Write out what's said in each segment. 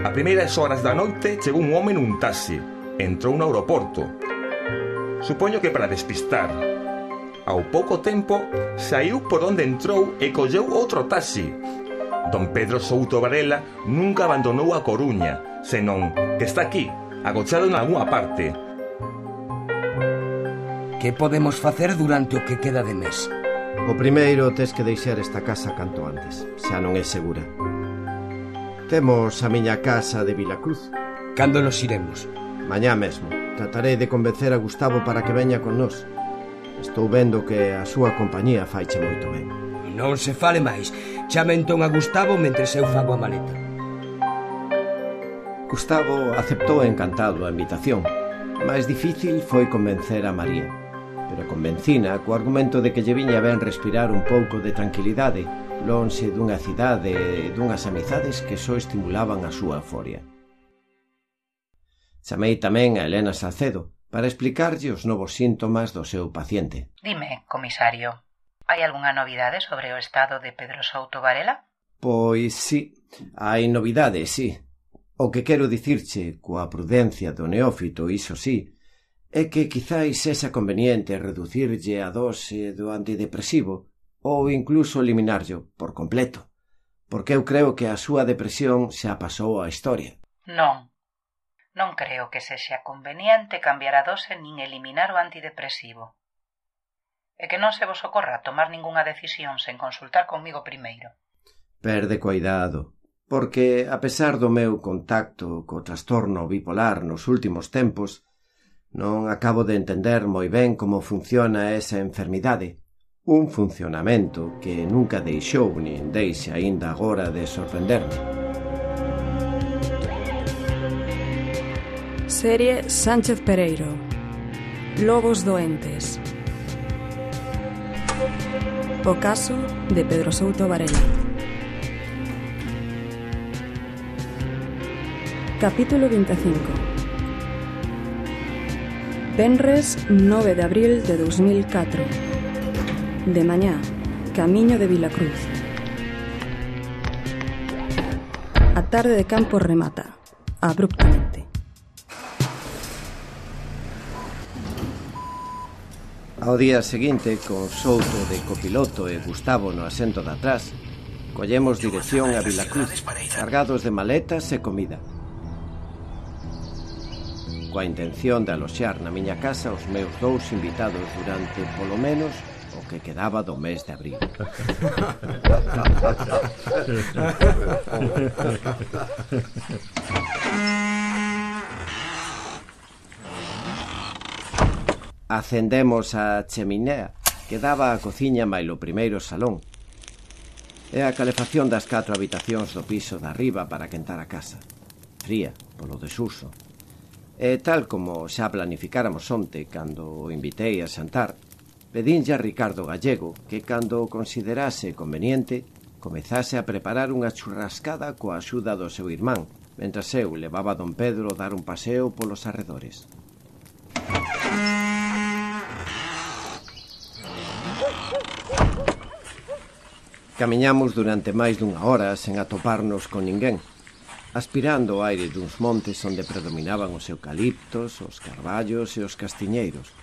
A primeiras horas da noite chegou un home nun taxi. Entrou no aeroporto. Supoño que para despistar. Ao pouco tempo, saiu por onde entrou e colleu outro taxi. Don Pedro Souto Varela nunca abandonou a Coruña, senón que está aquí, agochado en algunha parte. Que podemos facer durante o que queda de mes? O primeiro, tes que deixar esta casa canto antes. Xa non é segura. Temos a miña casa de Vilacruz. Cando nos iremos? Mañá mesmo. Tratarei de convencer a Gustavo para que veña con nós. Estou vendo que a súa compañía faiche moito ben. Non se fale máis. Chame entón a Gustavo mentres eu fago a maleta. Gustavo aceptou encantado a invitación. Mais difícil foi convencer a María. Pero convencina co argumento de que lle viña ben respirar un pouco de tranquilidade lonxe dunha cidade e dunhas amizades que só estimulaban a súa euforia. Chamei tamén a Elena Salcedo para explicarlle os novos síntomas do seu paciente. Dime, comisario, hai algunha novidade sobre o estado de Pedro Souto Varela? Pois sí, hai novidades, sí. O que quero dicirche coa prudencia do neófito, iso sí, é que quizáis sexa conveniente reducirlle a dose do antidepresivo ou incluso eliminarlo por completo, porque eu creo que a súa depresión xa pasou á historia. Non creo que sexa conveniente cambiar a dose nin eliminar o antidepresivo. E que non se vos ocorra tomar ningunha decisión sen consultar conmigo primeiro. Perde cuidado, porque a pesar do meu contacto co trastorno bipolar nos últimos tempos, non acabo de entender moi ben como funciona esa enfermidade. Un funcionamento que nunca deixou nin deixa aínda agora de sorprenderme. Serie Sánchez Pereiro. Lobos doentes. O caso de Pedro Souto Varela. Capítulo 25. Venres 9 de abril de 2004. De mañá, camiño de Vilacruz. A tarde de campo remata, abruptamente. Ao día seguinte, con Souto de copiloto e Gustavo no asento de atrás, collemos dirección a Vilacruz, cargados de maletas e comida, coa intención de aloxar na miña casa os meus dous invitados durante, polo menos, o que quedaba do mes de abril. Acendemos a cheminea que daba á cociña mailo primeiro salón e a calefacción das 4 habitacións do piso de arriba para quentar a casa, fría polo desuso. E tal como xa planificáramos onte cando o invitei a xantar, pedinlle a Ricardo Gallego que cando o considerase conveniente comezase a preparar unha churrascada coa axuda do seu irmán, mentras eu levaba a don Pedro a dar un paseo polos arredores. Camiñamos durante máis dunha hora sen atoparnos con ninguén, aspirando o aire duns montes onde predominaban os eucaliptos, os carballos e os castiñeiros.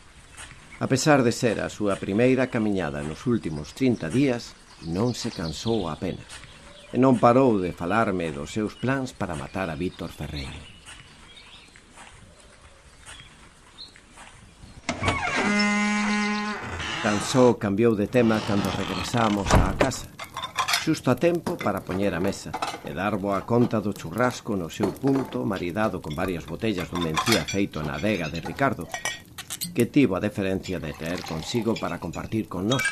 A pesar de ser a súa primeira camiñada nos últimos 30 días, non se cansou apenas, e non parou de falarme dos seus plans para matar a Víctor Ferreiro. Tan só cambiou de tema cando regresamos á casa, xusto a tempo para poñer a mesa e dar boa conta do churrasco no seu punto, maridado con varias botellas dun mencía feito na adega de Ricardo, que tivo a deferencia de traer consigo para compartir con nós.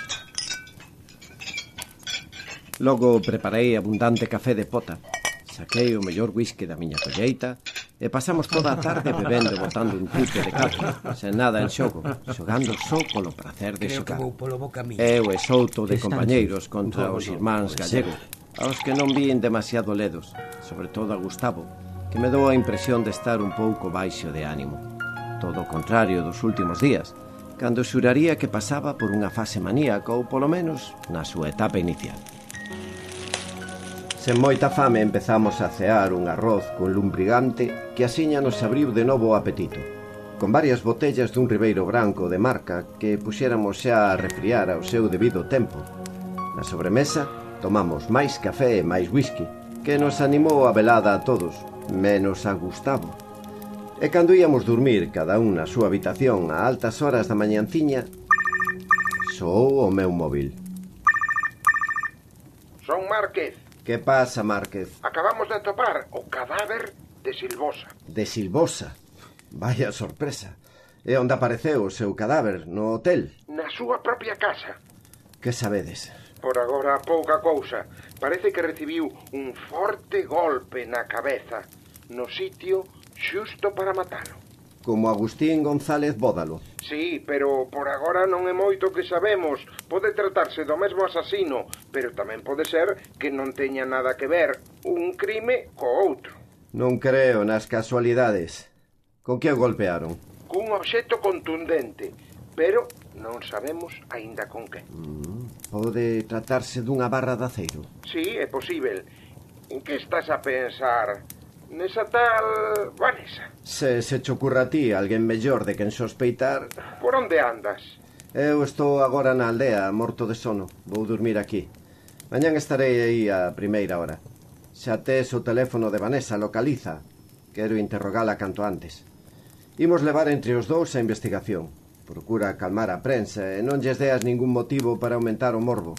Logo preparei abundante café de pota, saquei o mellor whisky da miña colleita e pasamos toda a tarde bebendo e botando un tupe de caza, sen nada en xogo, xogando só polo prazer de xogar. Eu e Souto de compañeiros contra os irmáns Gallego, aos que non vín demasiado ledos, sobre todo a Gustavo, que me dou a impresión de estar un pouco baixo de ánimo. Todo o contrario dos últimos días, cando xuraría que pasaba por unha fase maníaca ou polo menos na súa etapa inicial. Sen moita fame empezamos a cear un arroz con lumbrigante que asiña nos abriu de novo o apetito, con varias botellas dun ribeiro branco de marca que puxéramos xa a refriar ao seu debido tempo. Na sobremesa tomamos máis café e máis whisky, que nos animou a velada a todos, menos a Gustavo. E cando íamos dormir cada un na súa habitación a altas horas da mañanciña, soou o meu móvil. Son Márquez. Que pasa, Márquez? Acabamos de atopar o cadáver de Silvosa. De Silvosa? Vaya sorpresa. E onde apareceu o seu cadáver? No hotel? Na súa propia casa. Que sabedes? Por agora pouca cousa. Parece que recibiu un forte golpe na cabeza, no sitio xusto para matalo. Como Agustín González Bódalo. Sí, pero por agora non é moito que sabemos. Pode tratarse do mesmo asasino, pero tamén pode ser que non teña nada que ver un crime co outro. Non creo nas casualidades. Con que o golpearon? Cun obxecto contundente, pero non sabemos aínda con que. Pode tratarse dunha barra de aceiro. Sí, é posíbel. En que estás a pensar? Nesa tal Vanessa? Se che ocurra a ti alguén mellor de quen sospeitar... Por onde andas? Eu estou agora na aldea, morto de sono. Vou dormir aquí. Mañán estarei aí a primeira hora. Xa tes o teléfono de Vanessa, localiza. Quero interrogala canto antes. Imos levar entre os dous a investigación. Procura calmar a prensa e non lles deas ningún motivo para aumentar o morbo.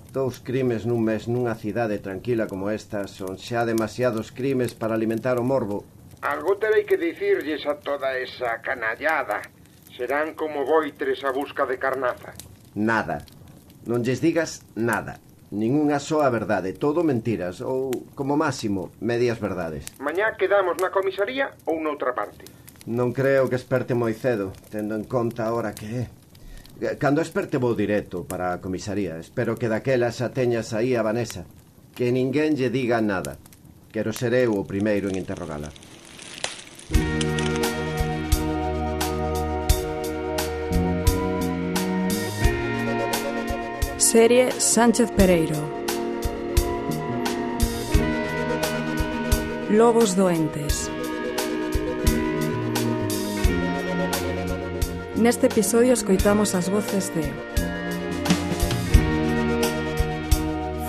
2 crimes nun mes nunha cidade tranquila como esta son xa demasiados crimes para alimentar o morbo. Algo terei que dicirlles a toda esa canallada. Serán como voitres a busca de carnaza. Nada. Non lles digas nada. Ningunha soa verdade, todo mentiras ou, como máximo, medias verdades. Mañá quedamos na comisaría ou noutra parte. Non creo que esperte moi cedo, tendo en conta a hora que é. Cando esperte vou directo para a comisaría. Espero que daquela xa teñas aí a Vanessa. Que ninguén lle diga nada. Quero ser eu o primeiro en interrogala. Serie Sánchez Pereiro. Lobos doentes. Neste episodio escoitamos as voces de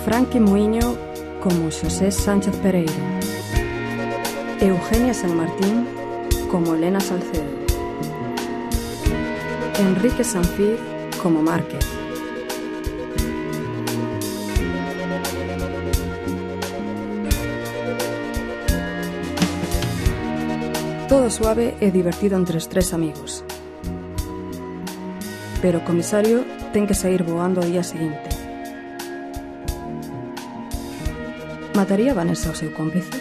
Franqui Muiño como Xosé Sánchez Pereiro, Eugenia San Martín como Elena Salcedo, Enrique Sanfiz como Márquez, todo suave e divertido entre os 3 amigos. Pero o comisario ten que sair voando ao día seguinte. Mataría Vanessa ao seu cómplice?